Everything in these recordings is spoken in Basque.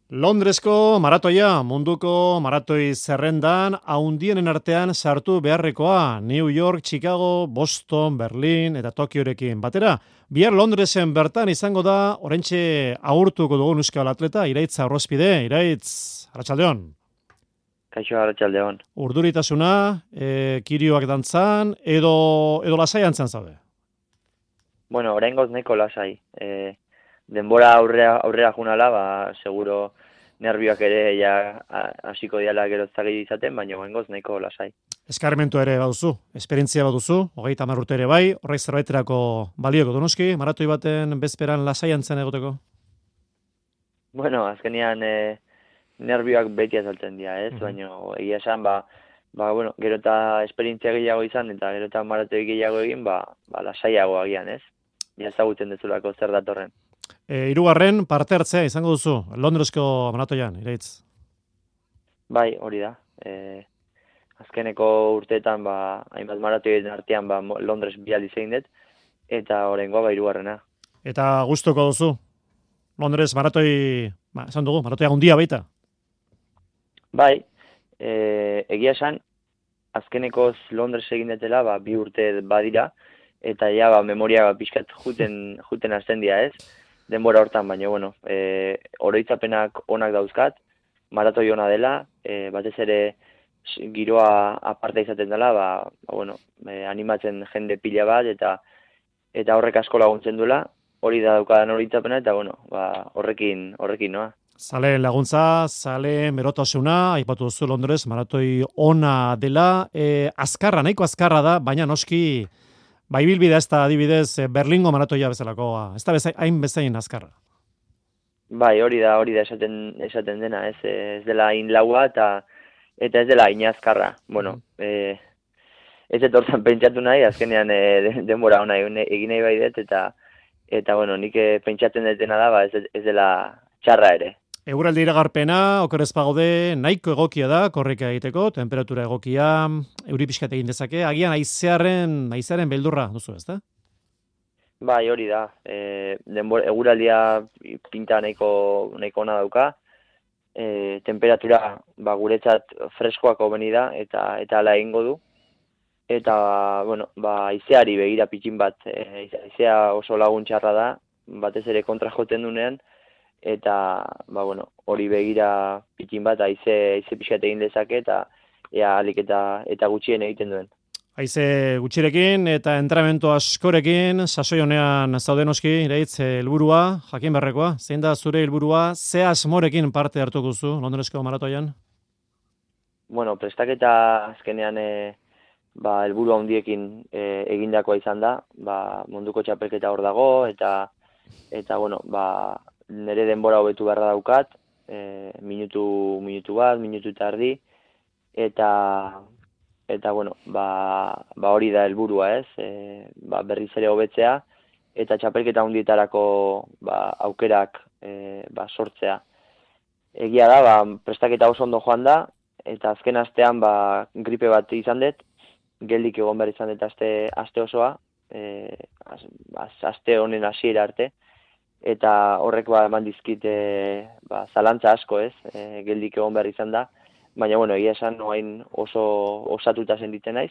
Londresko maratoia, munduko maratoi zerrendan, haundienen artean sartu beharrekoa, New York, Chicago, Boston, Berlin eta Tokiorekin batera. Bihar Londresen bertan izango da, oraintxe agurtuko dugun euskal atleta, Iraitz Aurrozpide. Iraitz, arratsaldeon. Kaixo, arratsaldeon. Urduritasuna, kirioak dantzan, edo lasaian zaude? Bueno, oraingoz nahiko lasai. Denbora aurrera junala, seguro nervioak ere ja hasiko diala gero zagei izaten, baina oraingoz nahiko lasai. Eskarmentu ere baduzu, esperientzia baduzu, 30 urte ere bai, horrek zerbaiterako balioko donoski, maratoi baten bezperan lasaian zen egoteko? Bueno, azkenean nervioak beti azaltzen dira, ez? Baina egia esan, bueno, gero eta esperientzia gehiago izan eta gero eta maratoi gehiago egin, lasaiago agian, ez? Ja ezagutzen dezulako zer datorren. Hirugarren parte hartzea izango duzu, Londresko maratoian, Iraitz. Bai, hori da. Azkeneko urteetan, hainbat maratoien artean, Londres bi aldiz egin dut, eta oraingoa hirugarrena. Eta gustoko duzu? Londres maratoi, esan dugu, maratoia handia baita? Bai, egia esan, azkenekoz Londres egin detela, 2 urte badira, eta ja, memoria pixkat juten hasten dira, ez? Denbora hortan, baina, bueno, oroitzapenak onak dauzkat, maratoi ona dela, batez ere giroa aparte izaten dela, bueno, animatzen jende pila bat, eta horrek asko laguntzen duela, hori da daukadan oroitzapena, eta, bueno, horrekin noa. Zale laguntza, zale merotasuna, aipatu duzu Londres, maratoi ona dela, azkarra, nahiko azkarra da, baina noski, ibilbidea ez da adibidez Berlingo maratoia bezalakoa, ez da hain bezain azkarra. Bai, hori da esaten dena, ez dela hain laua eta ez dela hain azkarra. Bueno, ez etortzen pentsatu nahi, azkenean denbora ona egin nahi bai dut, eta bueno, nik pentsatzen dutena da, ez dela txarra ere. Eguraldi iragarpena, oker ez bagaude, nahiko egokia da, korrika egiteko, temperatura egokia, euri pixkat egin dezake, agian haizearen beldurra duzu, ez da? Bai, hori da. Eguraldia pinta nahiko ona dauka, temperatura guretzat freskoak hobeni da, eta hala egingo du. Eta, bueno, haizeari begira pitxin bat, haizea oso laguntxarra da, batez ere kontra joten dunean, eta, bueno, hori begira pitxin bat, haize pixkat egin dezake, eta alik eta gutxien egiten duen. Haize gutxirekin eta entrenamendu askorekin, sasoi honean zaudenoski, Iraitz, helburua, jakin berrekoa, zein da zure helburua, ze asmorekin parte hartuko duzu Londresko maratoian? Bueno, prestaketa azkenean helburu handiekin egindakoa izan da, munduko txapelketa hor dago, eta bueno, nire denbora hobetu beharra daukat, minutu bat, minutu eta erdi, eta bueno, hori da helburua, ez? Berriz ere hobetzea, eta txapelketa handietarako aukerak sortzea. Egia da, prestaketa oso ondo joan da, eta azken astean gripe bat izan dut, geldik egon behar izan dut aste osoa, aste honen hasiera arte, eta horrek eman dizkit zalantza asko, ez? Geldik egon behar izan da, baina, bueno, egia esan noain oso osatuta sentitzen naiz,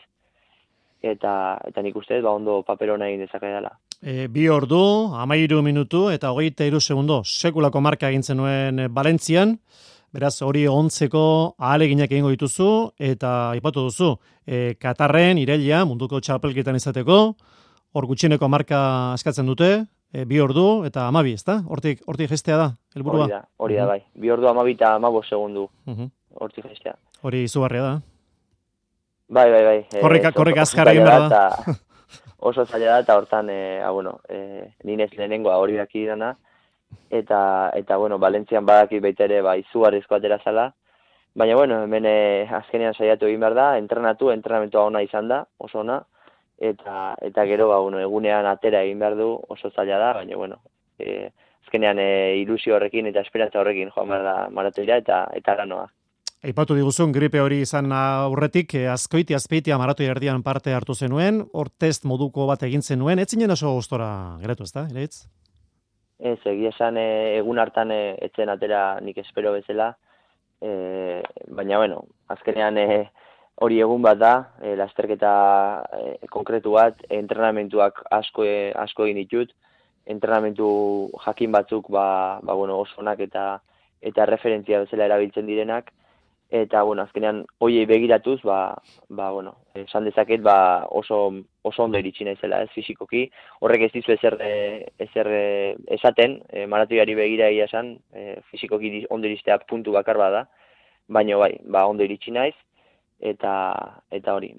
eta nik uste, ondo paper hona egin dezake dela. 2 ordu, 13 minutu eta 23 segundo, sekulako marka egin zenuen Valentzian, beraz hori ontzeko ahaleginak egingo dituzu, eta aipatu duzu, Katarren, Iraila, munduko txapelketan izateko, hor gutxieneko marka eskatzen dute, 2 ordu eta 12, ezta? Hortik gestea da, helburua? Hori da, bai. 2 ordu 12 eta 15 segundu. Hortik gestea. Hori izugarria da. Bai. Korrika azkar egin behar da. Oso zaila da, eta hortan, ninez lehenengoa hori daki dana, eta bueno, Valentzian badaki baita ere, izugarrizko atera zala, baina, bueno, hemen azkenean saiatu egin behar da, entrenamentua ona izan da, oso ona, eta gero, egunean atera egin behar du, oso zaila da, baina, bueno, azkenean ilusio horrekin eta esperantza horrekin joan behar da maratoira, eta lanoa. Aipatu diguzun, gripe hori izan aurretik, azpeitia maratoi erdian parte hartu zenuen, hor test moduko bat egin zenuen, ez zinen oso gustora geratu, ezta, Iraitz? Ez, egia esan egun hartan etzen atera nik espero bezala, baina, bueno, azkenean hori egun bat da, lasterketa konkretu bat, entrenamentuak asko egin ditut, entrenamentu jakin batzuk bueno, oso onak eta referentzia bezala erabiltzen direnak, eta, bueno, azkenean hoiei begiratuz, bueno, esan dezaket, oso ondo iritsi naizela, ez fisikoki, horrek ez dizu ezer esaten, maratoiari begira egia esan, fisikoki ondo iristea puntu bakar bada, baina bai, ondo iritsi naiz, eta hori,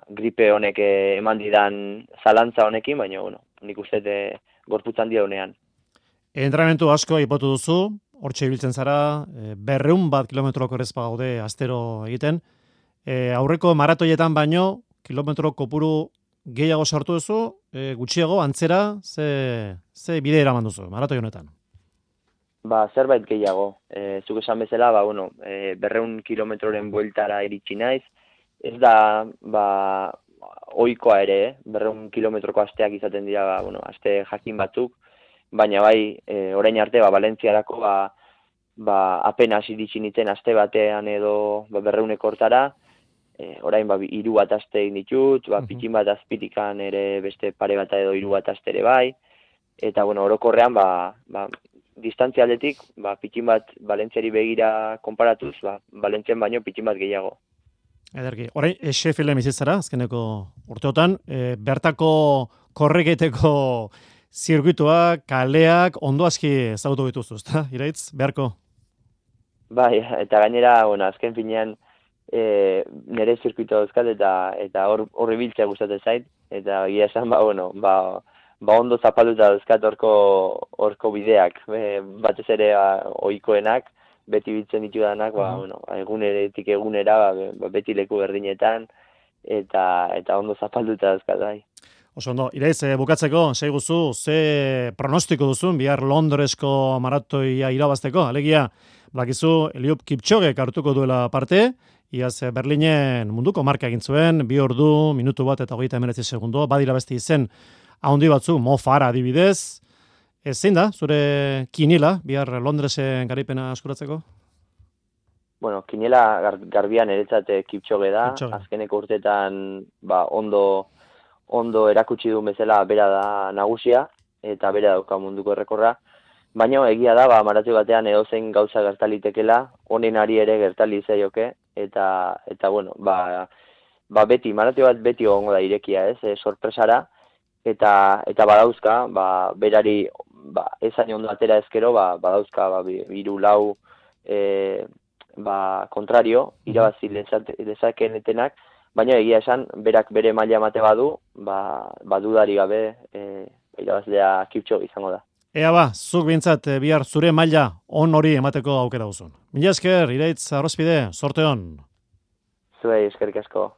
gripe honek eman didan zalantza honekin, baina, bueno, nik uste gorputz handia honean. Entrenamentu asko aipatu duzu, hortxe ibiltzen zara, 200 kilometroko errezpa gaude astero egiten. Aurreko maratoietan baino, kilometro kopuru gehiago sartu duzu, gutxiago, antzera, ze bide eraman duzu, maratoi honetan? Zerbait gehiago. Zuk esan bezala, 200 kilometroren bueltara iritsi naiz. Ez da, ohikoa ere, 200 kilometroko asteak izaten dira, aste jakin batzuk, baina bai, orain arte, Valentziarako, apenas iritsi nintzen aste batean edo 200 hortara, orain 3 bat aste egin ditut, pitin bat azpitikan ere beste pare bat edo 3 bat aste ere bai, eta, orokorrean, distantzia aldetik, pitin bat Valentziari begira konparatuz, Valentzian baino pitin bat gehiago. Ederki, orain, Sheffielden bizitzara, azkeneko urteotan, bertako korreketeko zirkuituak, kaleak, ondo aski ezagutu dituzu, ezta? Iraitz, beharko? Bai, eta gainera, azken finean, nire zirkuitu dauzkat eta hor ibiltzea gustatzen zait, eta egia esan, ondo zapalduta dauzkat horko bideak, batez ere ohikoenak, beti biltzen ditudanak, eguneretik egunera, beti leku berdinetan, eta ondo zapalduta dauzkat, bai. Oso ondo, Iraitz, bukatzeko, seiguzu, ze pronostiko duzun, bihar Londresko maratoia irabazteko, alegia, bakizu, Eliud Kipchoge hartuko duela parte, iaz Berlinen munduko marka egin zuen, 2 ordu, minutu bat eta 39 segundo, badira beste izen, haundi batzu, Mo Farah adibidez, zein da, zure kiniela, bihar Londresen garaipena askuratzeko? Bueno, kiniela garbian eretzat Kipchoge da, azkeneko urtetan ondo erakutsi du bezala bera da nagusia, eta bera dauka munduko errekorra, baina egia da, maratoi batean edozein gauza gertalitekela, honen ari ere gertali zaioke, eta beti, maratoi bat beti egongo da irekia, sorpresara, eta badauzka, berari, ezain ondo atera ezkero, badauzka, 3-4, kontrario, irabazi dezakenetenak, baina egia esan, berak bere maila emate badu, dudari gabe, irabazlea Kipchoge izango da. Ea zuk bintzat bihar zure maila on hori emateko aukera duzun. Mila esker, Iraitz Arrozpide, sorte on. Zuei eskerrik asko.